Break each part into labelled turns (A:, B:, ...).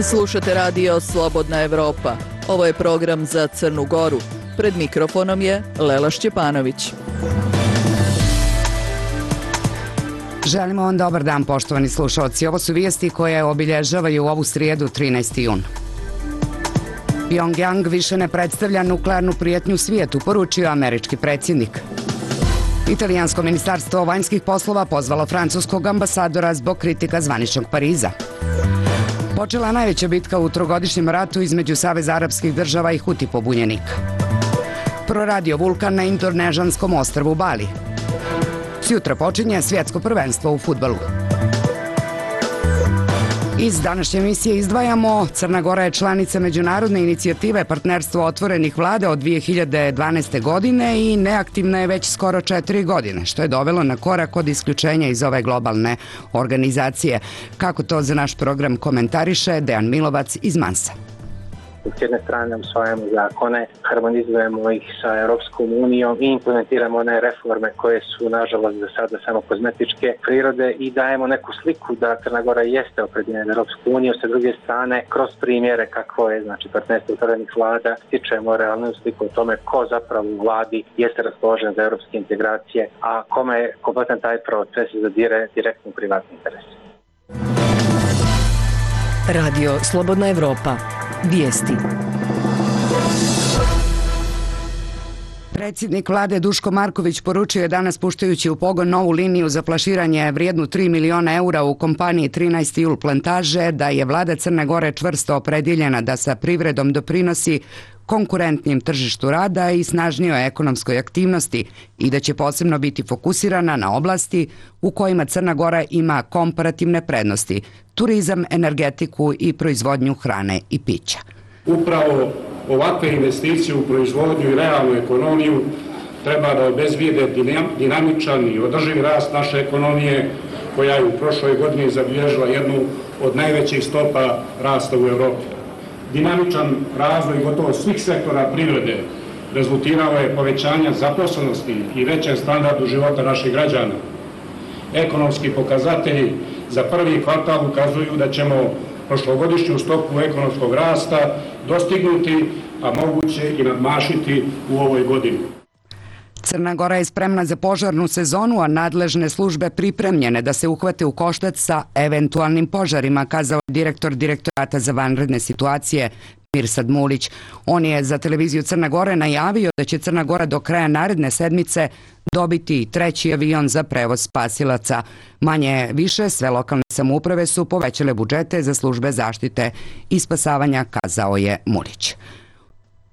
A: Slušate radio Slobodna Evropa. Ovo je program za Crnu Goru. Pred mikrofonom je Lela Šćepanović.
B: Želimo vam dobar dan, poštovani slušalci. Ovo su vijesti koje obilježavaju ovu srijedu 13. jun. Pjongjang više ne predstavlja nuklearnu prijetnju svijetu, poručio američki predsjednik. Italijansko ministarstvo vanjskih poslova pozvalo francuskog ambasadora zbog kritika zvaničnog Pariza. Počela najveća bitka u trogodišnjem ratu između Saveza arapskih država i Huti pobunjenika. Proradio vulkan na indonežanskom ostrvu Bali. Sutra počinje svjetsko prvenstvo u fudbalu. Iz današnje emisije izdvajamo: Crna Gora je članica međunarodne inicijative Partnerstvo otvorenih vlada od 2012. godine i neaktivna je već skoro 4 godine, što je dovelo na korak od isključenja iz ove globalne organizacije. Kako to za naš program komentariše Dejan Milovac iz Mansa.
C: S jedne strane usvajamo zakone, harmonizujemo ih sa Europskom unijom i implementiramo one reforme koje su nažalost za sada samo kozmetičke prirode i dajemo neku sliku da Crna Gora jeste opredeljena za Europsku uniju. Sa druge strane, kroz primjere kako je Partnerstvo otvorenih vlada, stičemo realnu sliku o tome ko zapravo u vladi jeste raspoložen za europske integracije, a kome je kompletan taj proces zadire direktno privatni interes.
D: Radio Slobodna Evropa. Vijesti.
B: Predsjednik vlade Duško Marković poručio je danas, puštajući u pogon novu liniju za flaširanje vrijednu 3 miliona eura u kompaniji 13. jul plantaže, da je vlada Crne Gore čvrsto opredjeljena da sa privredom doprinosi konkurentnijem tržištu rada i snažnijoj ekonomskoj aktivnosti i da će posebno biti fokusirana na oblasti u kojima Crna Gora ima komparativne prednosti: turizam, energetiku i proizvodnju hrane i pića.
E: Upravo ovakve investicije u proizvodnju i realnu ekonomiju treba da obezbijede dinamičan i održiv rast naše ekonomije, koja je u prošloj godini zabilježila jednu od najvećih stopa rasta u Evropi. Dinamičan razvoj gotovo svih sektora privrede rezultirao je povećanja zaposlenosti i većem standardu života naših građana. Ekonomski pokazatelji za prvi kvartal ukazuju da ćemo prošlogodišnju stopu ekonomskog rasta dostignuti, a moguće i nadmašiti u ovoj godini.
B: Crna Gora je spremna za požarnu sezonu, a nadležne službe pripremljene da se uhvate u koštac sa eventualnim požarima, kazao je direktor Direktorata za vanredne situacije Mirsad Mulić. On je za televiziju Crne Gore najavio da će Crna Gora do kraja naredne sedmice dobiti 3. avion za prevoz spasilaca. Manje više sve lokalne samouprave su povećale budžete za službe zaštite i spasavanja, kazao je Mulić.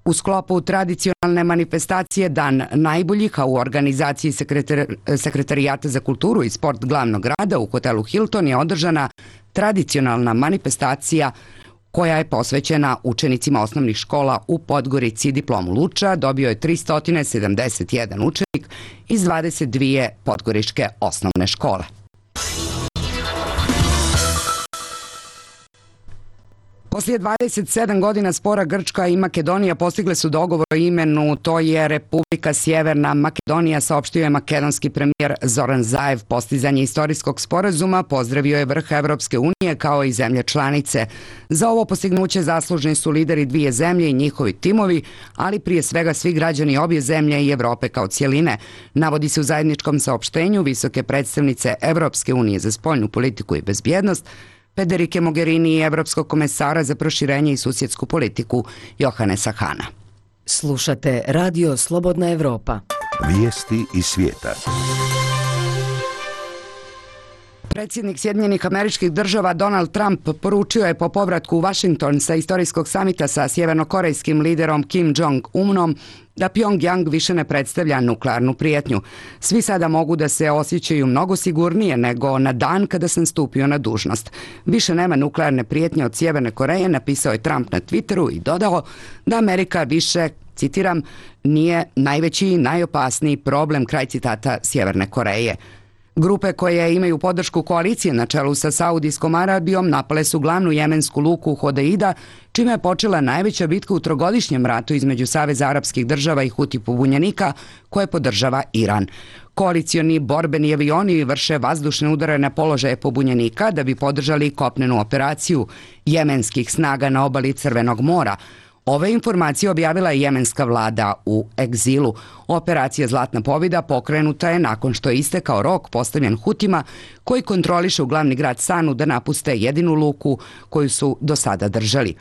B: U sklopu tradicionalne manifestacije Dan najboljih, a u organizaciji Sekretarijata za kulturu i sport glavnog grada u hotelu Hilton je održana tradicionalna manifestacija koja je posvećena učenicima osnovnih škola u Podgorici. Diplomu Luča dobio je 371 učenik iz 22 podgoričke osnovne škole. Poslije 27 godina spora Grčka i Makedonija postigle su dogovor o imenu, to je Republika Sjeverna Makedonija, saopštio je makedonski premijer Zoran Zaev. Postizanje istorijskog sporazuma pozdravio je vrh Evropske unije kao i zemlje članice. Za ovo postignuće zaslužni su lideri dvije zemlje i njihovi timovi, ali prije svega svi građani obje zemlje i Evrope kao cijeline. Navodi se u zajedničkom saopštenju visoke predstavnice Evropske unije za spoljnu politiku i bezbjednost Federike Mogherini i Evropskog komesara za proširenje i susjedsku politiku Johannesa Hana.
D: Slušate Radio Slobodna Evropa.
F: Vijesti iz svijeta.
B: Predsjednik Sjedinjenih Američkih Država Donald Trump poručio je po povratku u Washington sa istorijskog samita sa sjevernokorejskim liderom Kim Jong-unom da Pjongjang više ne predstavlja nuklearnu prijetnju. Svi sada mogu da se osjećaju mnogo sigurnije nego na dan kada sam stupio na dužnost. Više nema nuklearne prijetnje od Sjeverne Koreje, napisao je Trump na Twitteru i dodao da Amerika više, citiram, nije najveći i najopasniji problem, kraj citata, Sjeverne Koreje. Grupe koje imaju podršku koalicije na čelu sa Saudijskom Arabijom napale su glavnu jemensku luku Hodeida, čime je počela najveća bitka u trogodišnjem ratu između Saveza arapskih država i Huti pobunjenika koje podržava Iran. Koalicioni borbeni avioni vrše vazdušne udare na položaje pobunjenika da bi podržali kopnenu operaciju jemenskih snaga na obali Crvenog mora. Ove informacije objavila je jemenska vlada u egzilu. Operacija Zlatna pobjeda pokrenuta je nakon što je istekao rok postavljen Hutima koji kontrolišu glavni grad Sanu da napuste jedinu luku koju su do sada držali.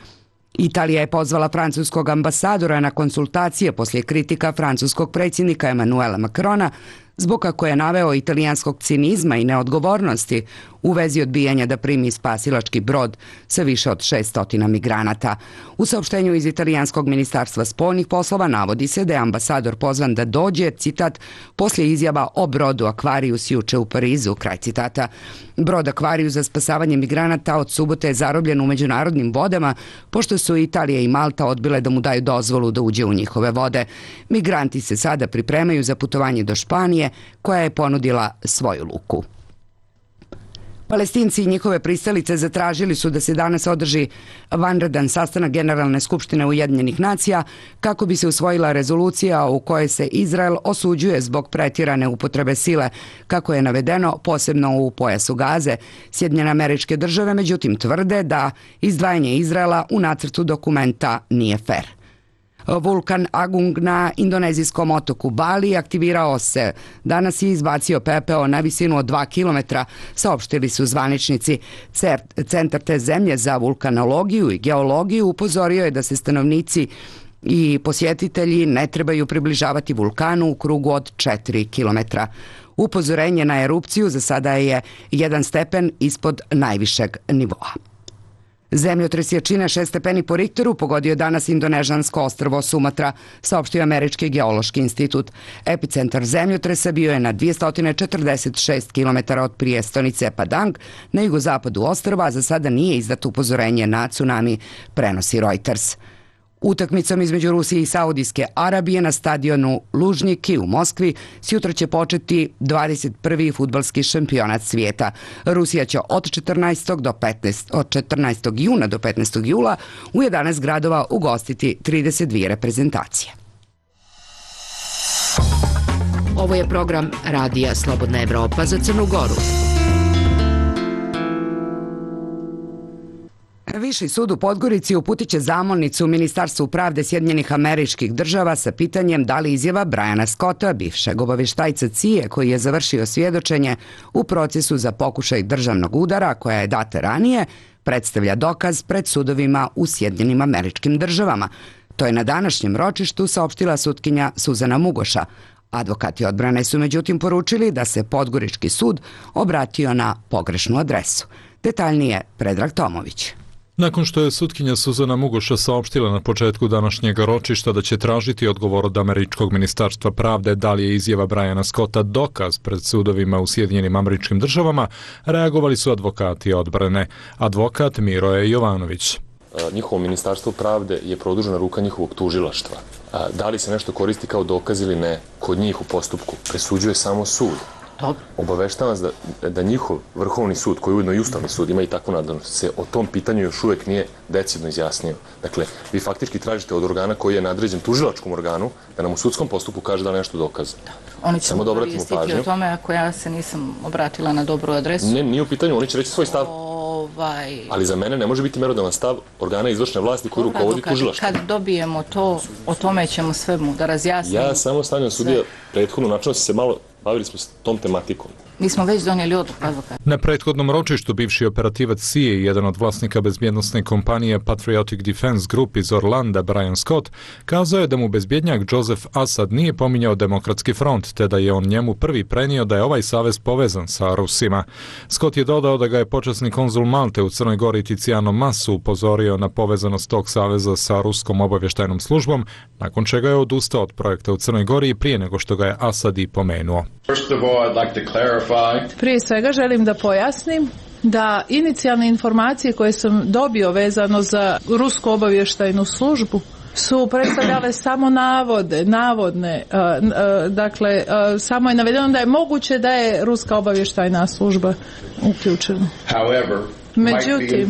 B: Italija je pozvala francuskog ambasadora na konsultacije poslije kritika francuskog predsjednika Emmanuela Macrona zbog kako je naveo italijanskog cinizma i neodgovornosti u vezi odbijanja da primi spasilački brod sa više od 600 migranata. U saopštenju iz italijanskog ministarstva spoljnih poslova navodi se da je ambasador pozvan da dođe, citat, poslije izjava o brodu Aquarius juče u Parizu, kraj citata. Brod Aquarius za spasavanje migranata od subote je zarobljen u međunarodnim vodama, pošto su Italija i Malta odbile da mu daju dozvolu da uđe u njihove vode. Migranti se sada pripremaju za putovanje do Španije, koja je ponudila svoju luku. Palestinci i njihove pristalice zatražili su da se danas održi vanredan sastanak Generalne skupštine Ujedinjenih nacija kako bi se usvojila rezolucija u kojoj se Izrael osuđuje zbog pretjerane upotrebe sile, kako je navedeno posebno u pojasu Gaze. Sjedinjene Američke Države međutim tvrde da izdvajanje Izraela u nacrtu dokumenta nije fer. Vulkan Agung na indonezijskom otoku Bali aktivirao se. Danas je izbacio pepeo na visinu od 2 km, saopštili su zvaničnici. Centar te zemlje za vulkanologiju i geologiju upozorio je da se stanovnici i posjetitelji ne trebaju približavati vulkanu u krugu od 4 km. Upozorenje na erupciju za sada je 1 stepen ispod najvišeg nivoa. Zemljotres jačine 6 stepeni po Richteru pogodio danas indonežansko ostrvo Sumatra, saopštio Američki geološki institut. Epicentar zemljotresa bio je na 246 km od prijestonice Padang na jugozapadu ostrva, a za sada nije izdato upozorenje na tsunami, prenosi Reuters. Utakmicom između Rusije i Saudijske Arabije na stadionu Lužniki u Moskvi sjutra će početi 21. fudbalski šampionat svijeta. Rusija će od 14. juna do 15. jula u 11 gradova ugostiti 32 reprezentacije.
D: Ovo je program Radija Slobodna Evropa za Crnu Goru.
B: Viši sud u Podgorici uputit će zamolnicu Ministarstvu pravde Sjedinjenih Američkih Država sa pitanjem da li izjava Briana Scotta, bivšeg obavještajca CIA koji je završio svjedočenje u procesu za pokušaj državnog udara koja je data ranije, predstavlja dokaz pred sudovima u Sjedinjenim Američkim Državama. To je na današnjem ročištu saopštila sutkinja Suzana Mugoša. Advokati odbrane su međutim poručili da se Podgorički sud obratio na pogrešnu adresu. Detaljnije Predrag Tomović.
G: Nakon što je sutkinja Suzana Mugoša saopštila na početku današnjeg ročišta da će tražiti odgovor od Američkog ministarstva pravde da li je izjava Briana Scotta dokaz pred sudovima u Sjedinjenim Američkim Državama, reagovali su advokati odbrane. Advokat Miroje Jovanović.
H: Njihovo ministarstvo pravde je produžena ruka njihovog tužilaštva. Da li se nešto koristi kao dokaz ili ne, kod njih u postupku presuđuje samo sud. Obaveštavam vas da njihov vrhovni sud, koji je ujedno i ustavni sud, ima i takvu nadležnost, se o tom pitanju još uvijek nije decidno izjasnio. Dakle, vi faktički tražite od organa koji je nadređen tužilačkom organu da nam u sudskom postupku kaže da li nešto dokaza.
I: Oni će mu koristiti o tome ako ja se nisam obratila na dobru adresu.
H: Ne, nije u pitanju, oni će reći svoj stav. Ali za mene ne može biti merodavan stav organa izvršne vlasti koji rukovodi tužilaštvom.
I: Kad dobijemo to, o tome ćemo sve mu da razjasnimo.
H: Ja samo stavljam sudija prethodno, načinno se malo bavili smo s tom tematikom.
I: Mi smo već donijeli odluku, advokat.
G: Na prethodnom ročištu bivši operativac CIA i jedan od vlasnika bezbjednosne kompanije Patriotic Defense Group iz Orlanda, Brian Scott, kazao je da mu bezbjednjak Joseph Assad nije pominjao Demokratski front, te da je on njemu prvi prenio da je ovaj savez povezan sa Rusima. Scott je dodao da ga je počasni konzul Malte u Crnoj Gori Tiziano Massu upozorio na povezanost tog saveza sa ruskom obavještajnom službom, nakon čega je odustao od projekta u Crnoj Gori i prije nego što ga je Assad i pomenuo.
J: Prije svega želim da pojasnim da inicijalne informacije koje sam dobio vezano za rusku obavještajnu službu su predstavljale samo navodne, dakle, samo je navedeno da je moguće da je ruska obavještajna služba uključena. Međutim,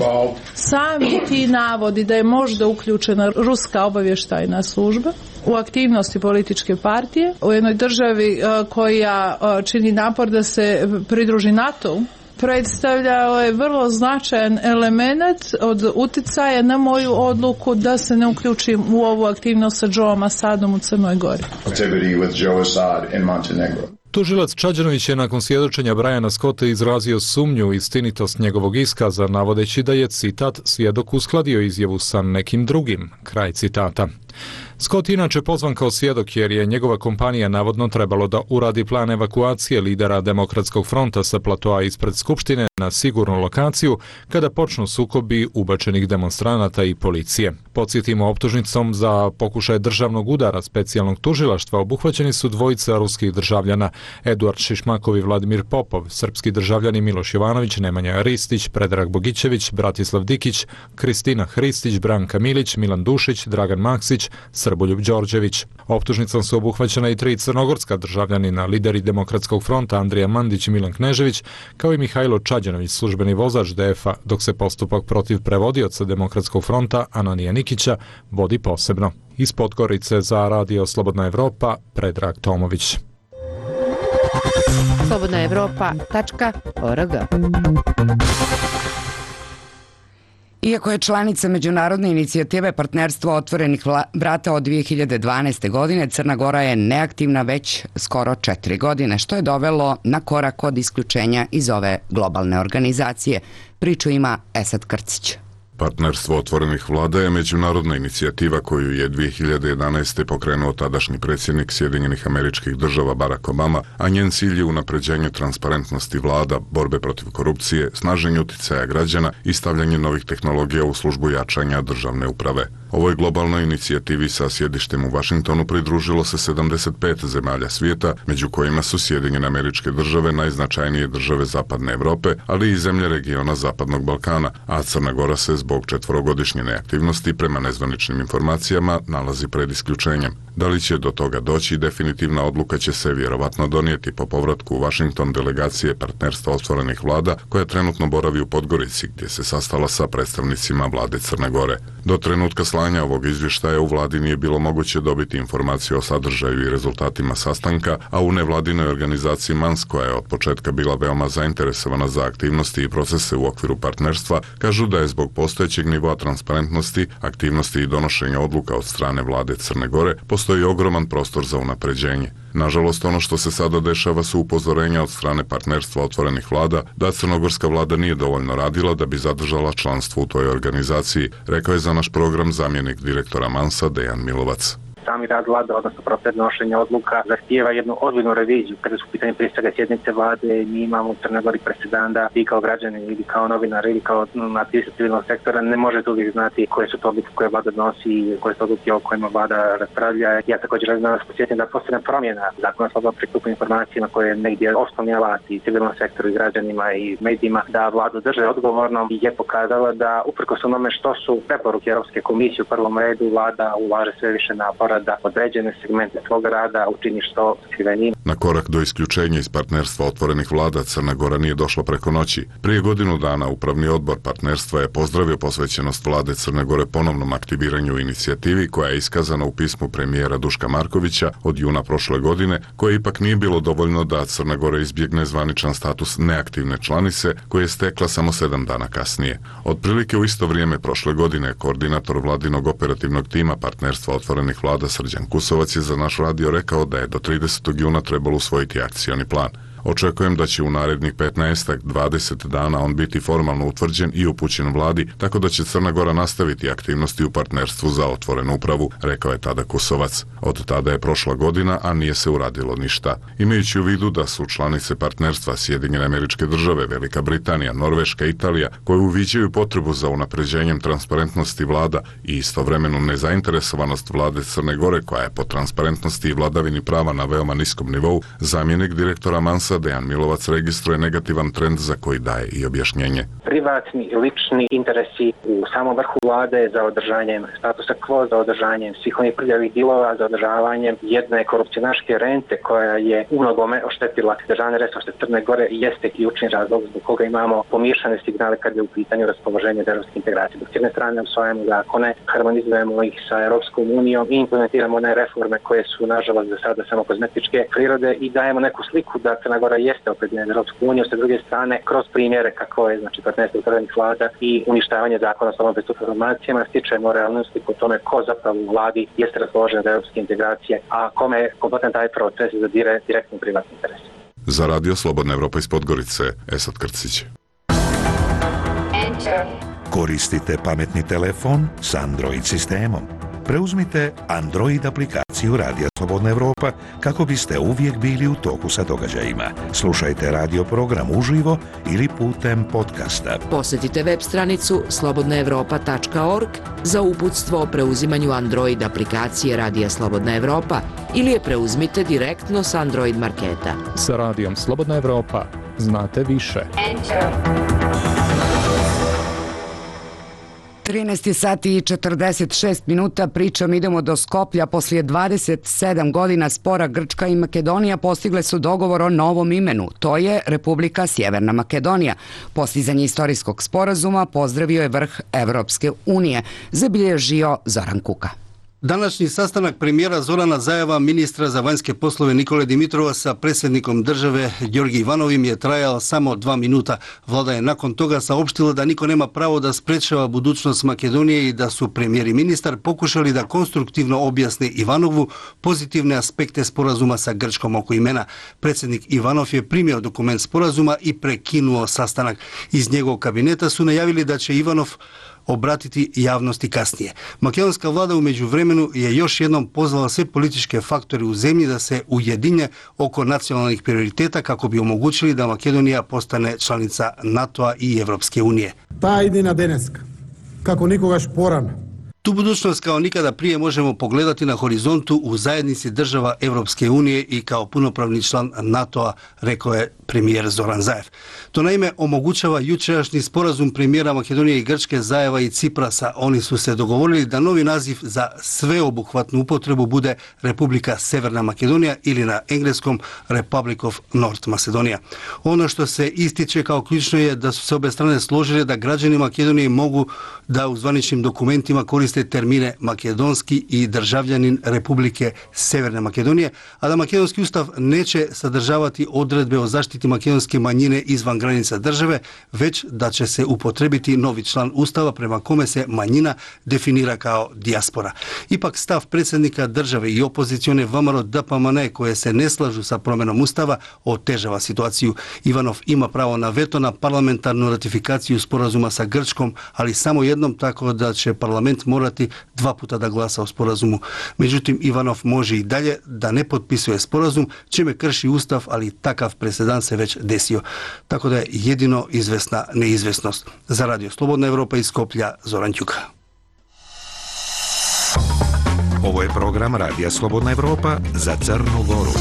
J: sami ti navodi da je možda uključena ruska obavještajna služba u aktivnosti političke partije u jednoj državi koja čini napor da se pridruži NATO-u, predstavljao je vrlo značajan element od utjecaja na moju odluku da se ne uključim u ovu aktivnost sa Joeom Assadom u Crnoj Gori.
G: Tužilac Čađanović je nakon svjedočenja Briana Scotta izrazio sumnju u istinitost njegovog iskaza, navodeći da je, citat, svjedok uskladio izjavu sa nekim drugim, kraj citata. Scott inače pozvan kao svjedok jer je njegova kompanija navodno trebalo da uradi plan evakuacije lidera Demokratskog fronta sa platoa ispred Skupštine na sigurnu lokaciju kada počnu sukobi ubačenih demonstranata i policije. Podsjetimo, optužnicom za pokušaj državnog udara specijalnog tužilaštva obuhvaćeni su dvojica ruskih državljana, Eduard Šišmakov i Vladimir Popov, srpski državljani Miloš Jovanović, Nemanja Ristić, Predrag Bogićević, Bratislav Dikić, Kristina Hristić, Branka Milić, Milan Dušić, Dragan Maksić, Srboljub Đorđević. Optužnicom su obuhvaćena i 3 crnogorska državljanina, lideri Demokratskog fronta Andrija Mandić i Milan Knežević, kao i Mihajlo Čađanović, službeni vozač DF-a, dok se postupak protiv prevodioca Demokratskog fronta Ananija Nikića vodi posebno. Iz Podgorice za Radio Slobodna Evropa, Predrag Tomović.
D: slobodnaevropa.org.
B: Iako je članica međunarodne inicijative Partnerstvo otvorenih vrata od 2012. godine, Crna Gora je neaktivna već skoro 4 godine, što je dovelo na korak od isključenja iz ove globalne organizacije. Priču ima Esad Krcić.
K: Partnerstvo otvorenih vlada je međunarodna inicijativa koju je 2011. pokrenuo tadašnji predsjednik Sjedinjenih Američkih Država Barack Obama, a njen cilj je unapređenje transparentnosti vlada, borbe protiv korupcije, snaženje utjecaja građana i stavljanje novih tehnologija u službu jačanja državne uprave. Ovoj globalnoj inicijativi sa sjedištem u Vašingtonu pridružilo se 75 zemalja svijeta, među kojima su Sjedinjene Američke Države, najznačajnije države Zapadne Europe, ali i zemlje regiona Zapadnog Balkana, a Crna Gora se zbog 4-godišnje neaktivnosti, prema nezvaničnim informacijama, nalazi pred isključenjem. Da li će do toga doći, definitivna odluka će se vjerovatno donijeti po povratku u Vašington delegacije Partnerstva otvorenih vlada, koja trenutno boravi u Podgorici, gdje se sastala sa predstavnicima vlade Crne Gore. Do trenutka slanja ovog izvještaja u vladi nije bilo moguće dobiti informaciju o sadržaju i rezultatima sastanka, a u nevladinoj organizaciji MANS, koja je od početka bila veoma zainteresovana za aktivnosti i procese u okviru partnerstva, kažu da je zbog postojećeg nivoa transparentnosti, aktivnosti i donošenja odluka od strane vlade Crne Gore postoji ogroman prostor za unapređenje. Nažalost, ono što se sada dešava su upozorenja od strane Partnerstva otvorenih vlada da crnogorska vlada nije dovoljno radila da bi zadržala članstvo u toj organizaciji, rekao je za naš program zamjenik direktora MANS-a Dejan Milovac.
C: Sami rad vlade, odnosno proces donošenja odluka, zahtijeva jednu ozbiljnu reviziju. Kada su u pitanju prije svega sjednice vlade, mi imamo u Crnoj Gori presedan da vi kao građani ili kao novinar ili kao aktivisti civilnog sektora ne možete uvijek znati koje su to odluke koje vlada donosi i koje su odluke o kojima vlada raspravlja. Ja također želim da vas posjetim da postoje promjena zakona o slobodnom pristupu informacijama koje je negdje osnovni alat i civilnom sektoru i građanima i medijima da vladu drže odgovornom i je pokazala da uprkos onome što su preporuke Europske komisije u prvom redu, vlada ulaže sve više napora da određene segmente svog rada učini što skrivenim.
K: Na korak do isključenja iz Partnerstva otvorenih vlada Crna Gora nije došla preko noći. Prije godinu dana Upravni odbor Partnerstva je pozdravio posvećenost vlade Crne Gore ponovnom aktiviranju inicijativi koja je iskazana u pismu premijera Duška Markovića od juna prošle godine, koje ipak nije bilo dovoljno da Crna Gora izbjegne zvaničan status neaktivne članice koje je stekla samo 7 dana kasnije. Otprilike u isto vrijeme prošle godine koordinator vladinog operativnog tima Partnerstva otvorenih vlada Srđan Kusovac je za naš radio rekao da je do 30. juna trebalo usvojiti akcioni plan. Očekujem da će u narednih 15-20 dana on biti formalno utvrđen i upućen vladi, tako da će Crna Gora nastaviti aktivnosti u Partnerstvu za otvorenu upravu, rekao je tada Kusovac. Od tada je prošla godina, a nije se uradilo ništa. Imajući u vidu da su članice Partnerstva Sjedinjene Američke Države, Velika Britanija, Norveška, Italija, koje uviđaju potrebu za unapređenjem transparentnosti vlada i istovremenu nezainteresovanost vlade Crne Gore, koja je po transparentnosti i vladavini prava na veoma niskom nivou, zamjenik direktora MANS-a Milovaca, Dejan Milovac registruje negativan trend za koji daje i objašnjenje.
C: Privatni i lični interesi u samom vrhu vlade za održanjem statusa quo, za održanjem svih onih prljavih dilova, za održavanjem jedne korupcionaške rente koja je u mnogome oštetila državne resurse Crne Gore i jeste ključni razlog zbog koga imamo pomiješane signale kad je u pitanju raspoloženje evropske integracije. Dok s jedne strane usvajamo zakone, harmonizujemo ih sa Europskom unijom i implementiramo one reforme koje su nažalost za sada samo kozmetičke prirode i dajemo neku sliku da Crna Gora jeste opredeljena za Europsku uniju, sa druge strane kroz primjere kako je partnerstvo upravljenih vlada i uništavanje zakona o slobodnom pristupu informacijama stičemo realnu sliku o tome ko zapravo u vladi jeste raspoložen za europske integracije, a kome je kompletan taj proces zadire direktno privatni interes.
K: Za Radio Slobodna Evropa iz Podgorice, Esad Krcić.
F: Koristite pametni telefon s Android sistemom. Preuzmite Android aplikaciju Radija Slobodna Evropa kako biste uvijek bili u toku sa događajima. Slušajte radio program uživo ili putem podcasta.
D: Posjetite web stranicu slobodnaevropa.org za uputstvo o preuzimanju Android aplikacije Radija Slobodna Evropa ili je preuzmite direktno s Android marketa.
G: Sa Radijom Slobodna Evropa znate više.
B: 13 sati i 46 minuta, pričom idemo do Skoplja. Poslije 27 godina spora Grčka i Makedonija postigle su dogovor o novom imenu. To je Republika Sjeverna Makedonija. Postizanje istorijskog sporazuma pozdravio je vrh Evropske unije, zabilježio Zoran Kuka.
L: Današnji sastanak premijera Zorana Zajeva, ministra za vanjske poslove Nikole Dimitrova sa predsjednikom države Gjorgi Ivanovim je trajao samo 2 minuta. Vlada je nakon toga saopštila da niko nema pravo da sprečava budućnost Makedonije i da su premijer i ministar pokušali da konstruktivno objasne Ivanovu pozitivne aspekte sporazuma sa Grčkom oko imena. Predsjednik Ivanov je primio dokument sporazuma i prekinuo sastanak. Iz njegovog kabineta su najavili da će Ivanov obratiti javnosti kasnije. Makedonska vlada u međuvremenu je još jednom pozvala sve političke faktore u zemlji da se ujedinje oko nacionalnih prioriteta kako bi omogućili da Makedonija postane članica NATO-a i Evropske unije.
M: Ta idina deneska, kako nikogaš porana.
L: Tu budućnost kao nikada prije možemo pogledati na horizontu u zajednici država Evropske unije i kao punopravni član NATO-a, rekao je premijer Zoran Zaev. To naime omogućava jučerašnji sporazum premijera Makedonije i Grčke, Zajeva i Ciprasa. Oni su se dogovorili da novi naziv za sveobuhvatnu upotrebu bude Republika Severna Makedonija ili na engleskom Republic of North Macedonia. Ono što se ističe kao ključno je da su se obe strane složile da građani Makedonije mogu da u zvaničnim dokumentima koriste termine makedonski i državljanin Republike Severne Makedonije, a da makedonski ustav neće sadržavati odredbe o zaštiti makedonske manjine izvan granica države, već da će se upotrebiti novi član ustava prema kome se manjina definira kao dijaspora. Ipak stav predsjednika države i opozicione VMRO DPMNE koje se ne slažu sa promjenom ustava otežava situaciju. Ivanov ima pravo na veto na parlamentarnu ratifikaciju sporazuma sa Grčkom, ali samo jednom, tako da će parlament morati 2 puta da glasa o sporazumu. Međutim, Ivanov može i dalje da ne potpisuje sporazum, čime krši ustav, ali takav presedan se već desio. Tako da je jedino izvesna neizvesnost. Za Radio Slobodna Evropa iz Skoplja, Zoran Ćuka.
F: Ovo je program Radija Slobodna Evropa za Crnu Goru.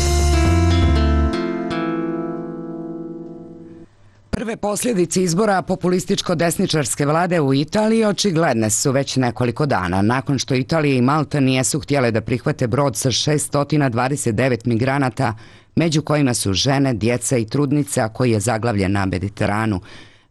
B: Prve posljedice izbora populističko-desničarske vlade u Italiji očigledne su već nekoliko dana, nakon što Italija i Malta nijesu htjele da prihvate brod sa 629 migranata, među kojima su žene, djeca i trudnice, a koji je zaglavljen na Mediteranu.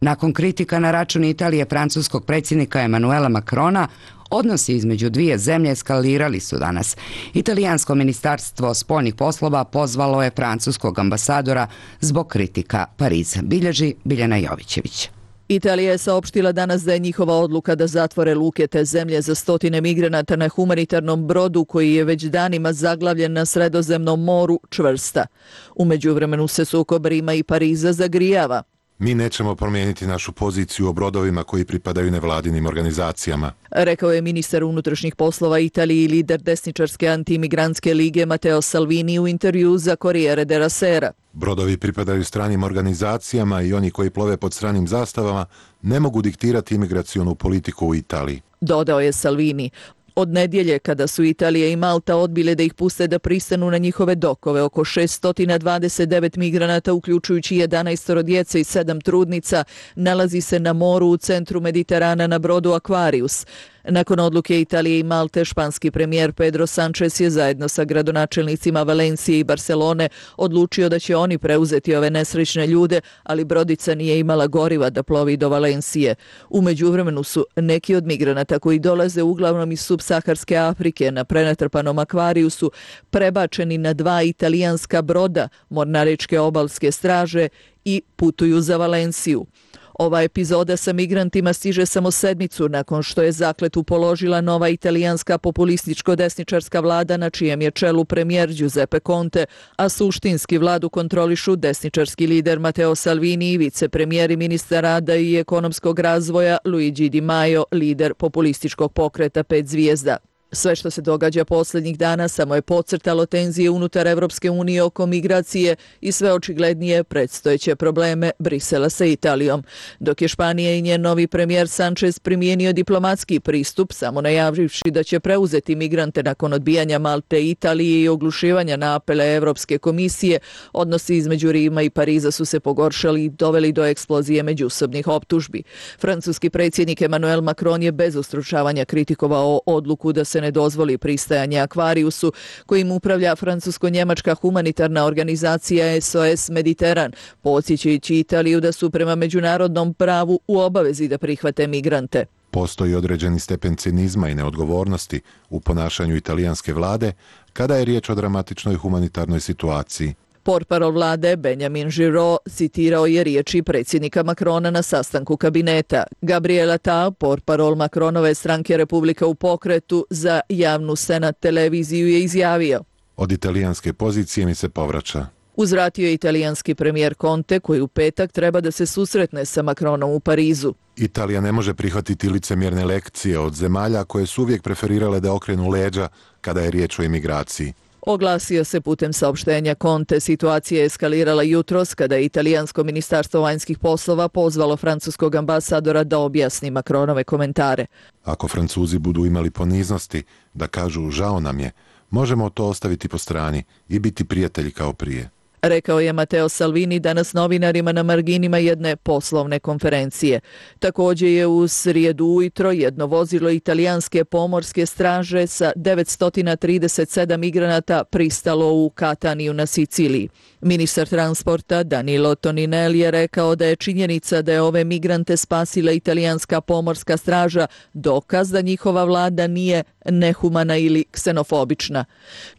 B: Nakon kritika na račun Italije francuskog predsjednika Emanuela Macrona, odnosi između dvije zemlje eskalirali su danas. Italijansko ministarstvo spoljnih poslova pozvalo je francuskog ambasadora zbog kritika Pariza. Bilježi Biljana Jovićević.
A: Italija je saopštila danas da je njihova odluka da zatvore luke te zemlje za stotine migranata na humanitarnom brodu koji je već danima zaglavljen na Sredozemnom moru čvrsta. U međuvremenu se sukob Rima i Pariza zagrijava.
N: Mi nećemo promijeniti našu poziciju o brodovima koji pripadaju nevladinim organizacijama,
A: rekao je ministar unutrašnjih poslova Italije i lider desničarske antimigrantske lige Matteo Salvini u intervju za Corriere della Sera.
N: Brodovi pripadaju stranim organizacijama i oni koji plove pod stranim zastavama ne mogu diktirati imigracionu politiku u Italiji.
A: Dodao je Salvini. Od nedjelje, kada su Italija i Malta odbile da ih puste da pristanu na njihove dokove, oko 629 migranata, uključujući 11 djece i 7 trudnica, nalazi se na moru u centru Mediterana na brodu Aquarius. Nakon odluke Italije i Malte, španski premijer Pedro Sanchez je zajedno sa gradonačelnicima Valencije i Barcelone odlučio da će oni preuzeti ove nesrećne ljude, ali brodica nije imala goriva da plovi do Valencije. U međuvremenu su neki od migranata koji dolaze uglavnom iz subsaharske Afrike na prenatrpanom Akvariusu prebačeni na 2 italijanska broda mornaričke obalske straže i putuju za Valenciju. Ova epizoda sa migrantima stiže samo sedmicu nakon što je zakletvu položila nova italijanska populističko-desničarska vlada na čijem je čelu premijer Giuseppe Conte, a suštinski vladu kontrolišu desničarski lider Matteo Salvini i vicepremijer i ministar rada i ekonomskog razvoja Luigi Di Maio, lider populističkog pokreta 5 zvijezda. Sve što se događa posljednjih dana samo je podcrtalo tenzije unutar Evropske unije oko migracije i sve očiglednije predstojeće probleme Brisela sa Italijom. Dok je Španija i njen novi premijer Sanchez primijenio diplomatski pristup, samo najavivši da će preuzeti migrante nakon odbijanja Malte i Italije i oglušivanja na apele Evropske komisije, odnosi između Rima i Pariza su se pogoršali i doveli do eksplozije međusobnih optužbi. Francuski predsjednik Emmanuel Macron je bez ustručavanja kritikovao odluku da se ne dozvoli pristajanje Akvariusu, kojim upravlja francusko-njemačka humanitarna organizacija SOS Mediteran, podsjećajući Italiju da su prema međunarodnom pravu u obavezi da prihvate migrante.
N: Postoji određeni stepen cinizma i neodgovornosti u ponašanju italijanske vlade kada je riječ o dramatičnoj humanitarnoj situaciji.
A: Portparol vlade Benjamin Giraud citirao je riječi predsjednika Macrona na sastanku kabineta. Gabriel Attal, portparol Macronove stranke Republika u pokretu za javnu Senat televiziju, je izjavio:
N: Od italijanske pozicije mi se povraća.
A: Uzvratio je italijanski premijer Conte, koji u petak treba da se susretne sa Macronom u Parizu.
N: Italija ne može prihvatiti licemjerne lekcije od zemalja koje su uvijek preferirale da okrenu leđa kada je riječ o imigraciji.
A: Oglasio se putem saopštenja Conte. Situacija je eskalirala jutros kada je italijansko ministarstvo vanjskih poslova pozvalo francuskog ambasadora da objasni Macronove komentare.
N: Ako Francuzi budu imali poniznosti da kažu žao nam je, možemo to ostaviti po strani i biti prijatelji kao prije,
A: rekao je Matteo Salvini danas novinarima na marginima jedne poslovne konferencije. Također je u srijedu ujutro jedno vozilo italijanske pomorske straže sa 937 migranata pristalo u Kataniju na Siciliji. Ministar transporta Danilo Toninelli je rekao da je činjenica da je ove migrante spasila italijanska pomorska straža dokaz da njihova vlada nije nehumana ili ksenofobična.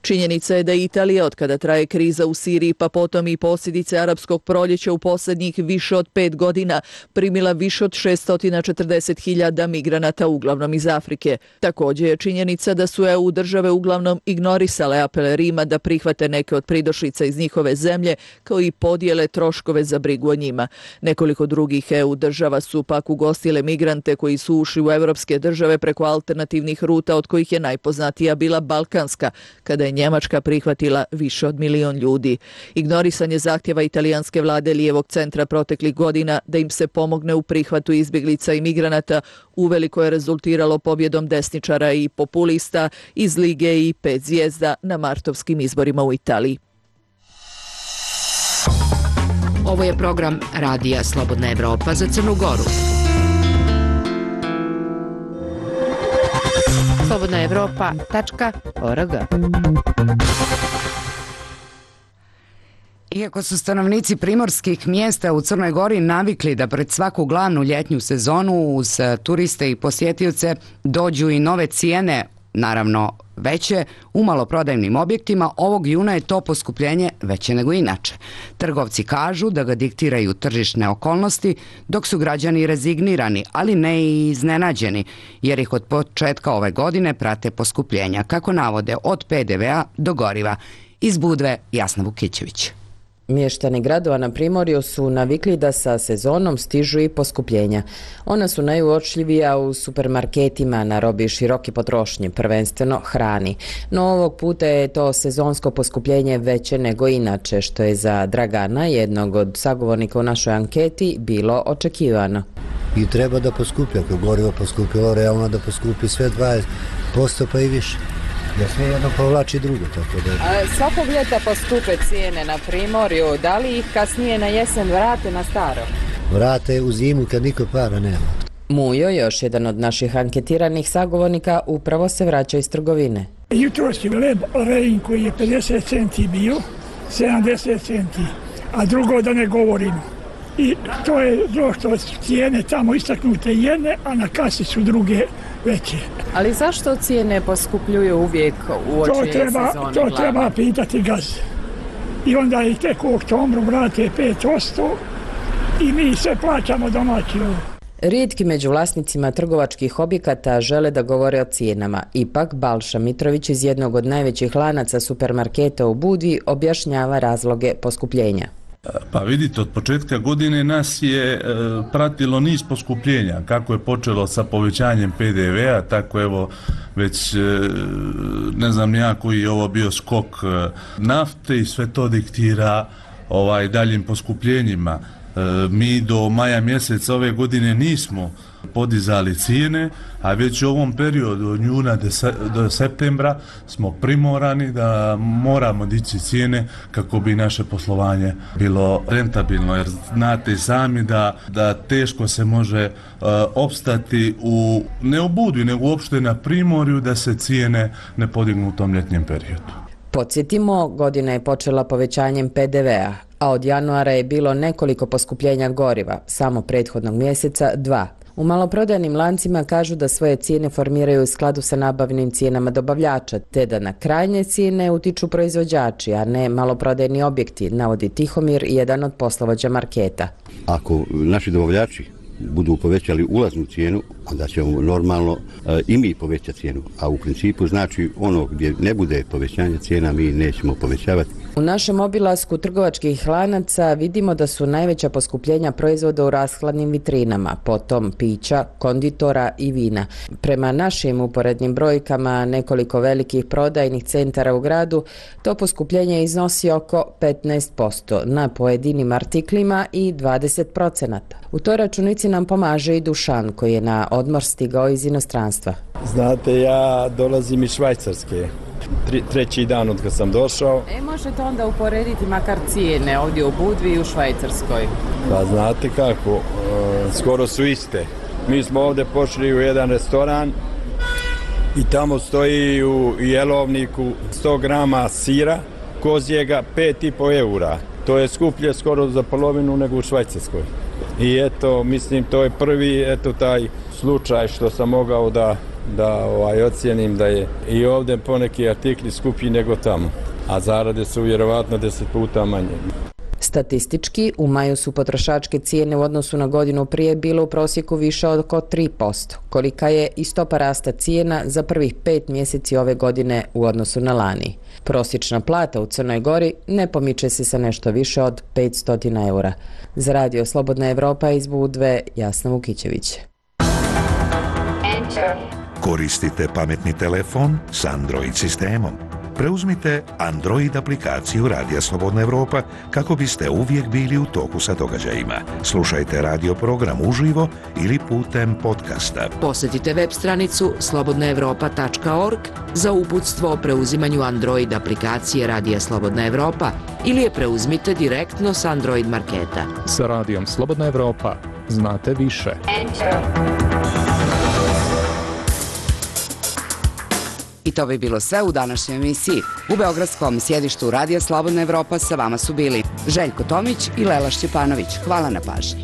A: Činjenica je da je Italija, od kada traje kriza u Siriji pa potom i posljedice arapskog proljeća u posljednjih više od 5 godina, primila više od 640.000 migranata, uglavnom iz Afrike. Također je činjenica da su EU države uglavnom ignorisale apele Rima da prihvate neke od pridošlica iz njihove zemlje, kao i podijele troškove za brigu o njima. Nekoliko drugih EU država su pak ugostile migrante koji su ušli u evropske države preko alternativnih ruta, od kojih je najpoznatija bila balkanska, kada je Njemačka prihvatila više od 1 milion ljudi. Ignorisanje zahtjeva italijanske vlade lijevog centra proteklih godina da im se pomogne u prihvatu izbjeglica i migranata uveliko je rezultiralo pobjedom desničara i populista iz Lige i 5 zvijezda na martovskim izborima u Italiji.
D: Ovo je program Radija Slobodna Evropa za Crnu Goru. slobodnaevropa.org.
B: Iako su stanovnici primorskih mjesta u Crnoj Gori navikli da pred svaku glavnu ljetnju sezonu uz turiste i posjetioce dođu i nove cijene, naravno veće, u maloprodajnim objektima, ovog juna je to poskupljenje veće nego inače. Trgovci kažu da ga diktiraju tržišne okolnosti, dok su građani rezignirani, ali ne i iznenađeni, jer ih od početka ove godine prate poskupljenja, kako navode, od PDV-a do goriva. Iz Budve, Jasna Vukićević.
O: Mještani gradova na Primorju su navikli da sa sezonom stižu i poskupljenja. Ona su najuočljivija u supermarketima na robi široke potrošnje, prvenstveno hrani. No ovog puta je to sezonsko poskupljenje veće nego inače, što je za Dragana, jednog od sagovornika u našoj anketi, bilo očekivano.
P: I treba da poskupi, ako gorivo poskupilo, realno da poskupi sve 10% pa i više. Ja sve jedno povlači drugo, tako da...
O: Svakog ljeta poskupe cijene na Primorju, da li ih kasnije na jesen vrate na staro?
P: Vrate u zimu kad niko para nema.
O: Mujo, još jedan od naših anketiranih sagovornika, upravo se vraća iz trgovine.
Q: Jutros je leb Rein koji je 50 centi bio, 70 centi, a drugo da ne govorim. I to je što cijene tamo istaknute jedne, a na kasi su druge veće.
O: Ali zašto cijene poskupljuju uvijek u oči sezone?
Q: To treba pitati gaz. I onda ih tek u oktobru vrate 5% i mi sve plaćamo domaći.
O: Rijetki među vlasnicima trgovačkih objekata žele da govore o cijenama. Ipak, Balša Mitrović iz jednog od najvećih lanaca supermarketa u Budvi objašnjava razloge poskupljenja.
R: Pa vidite, od početka godine nas je pratilo niz poskupljenja. Kako je počelo sa povećanjem PDV-a, tako evo već ne znam nija koji je ovo bio skok nafte i sve to diktira daljim poskupljenjima. Mi do maja mjeseca ove godine nismo podizali cijene, a već u ovom periodu od juna do septembra smo primorani da moramo dići cijene kako bi naše poslovanje bilo rentabilno, jer znate i sami da teško se može opstati ne u Budvi, nego uopšte na Primorju da se cijene ne podignu u tom ljetnjem periodu.
O: Podsjetimo, godina je počela povećanjem PDV-a, a od januara je bilo nekoliko poskupljenja goriva, samo prethodnog mjeseca 2. U maloprodajnim lancima kažu da svoje cijene formiraju u skladu sa nabavnim cijenama dobavljača, te da na krajnje cijene utiču proizvođači, a ne maloprodajni objekti, navodi Tihomir, jedan od poslovođa marketa.
S: Ako naši dobavljači budu povećali ulaznu cijenu, onda ćemo normalno i mi povećati cijenu. A u principu znači ono gdje ne bude povećanja cijena mi nećemo povećavati.
O: U našem obilasku trgovačkih lanaca vidimo da su najveća poskupljenja proizvoda u rashladnim vitrinama, potom pića, konditora i vina. Prema našim uporednim brojkama nekoliko velikih prodajnih centara u gradu, to poskupljenje iznosi oko 15% na pojedinim artiklima i 20%. U toj računici nam pomaže i Dušan koji je na odmor stigao iz inostranstva.
T: Znate, ja dolazim iz Švajcarske. Treći dan od kad sam došao.
O: Možete onda uporediti makar cijene ovdje u Budvi i u Švajcarskoj?
T: Pa znate kako, skoro su iste. Mi smo ovdje pošli u jedan restoran i tamo stoji u jelovniku 100 grama sira kozjega 5,5 eura. To je skuplje skoro za polovinu nego u Švajcarskoj. I eto, mislim, to je prvi taj slučaj što sam mogao da ocijenim da je i ovdje poneki artikli skuplji nego tamo, a zarade su vjerovatno 10 puta manje.
O: Statistički, u maju su potrošačke cijene u odnosu na godinu prije bile u prosjeku više od oko 3%, kolika je i stopa rasta cijena za prvih 5 mjeseci ove godine u odnosu na lani. Prosječna plata u Crnoj Gori ne pomiče se sa nešto više od 500 eura. Za Radio Slobodna Evropa iz Budve, Jasna Vukićević.
F: Koristite pametni telefon s Android sistemom. Preuzmite Android aplikaciju Radija Slobodna Evropa kako biste uvijek bili u toku sa događajima. Slušajte radio program uživo ili putem podcasta.
D: Posjetite web stranicu slobodnaevropa.org za uputstvo o preuzimanju Android aplikacije Radija Slobodna Evropa ili je preuzmite direktno s Android marketa.
G: Sa Radijom Slobodna Evropa znate više.
B: I to bi bilo sve u današnjoj emisiji. U beogradskom sjedištu Radija Slobodna Evropa sa vama su bili Željko Tomić i Lela Šćepanović. Hvala na pažnji.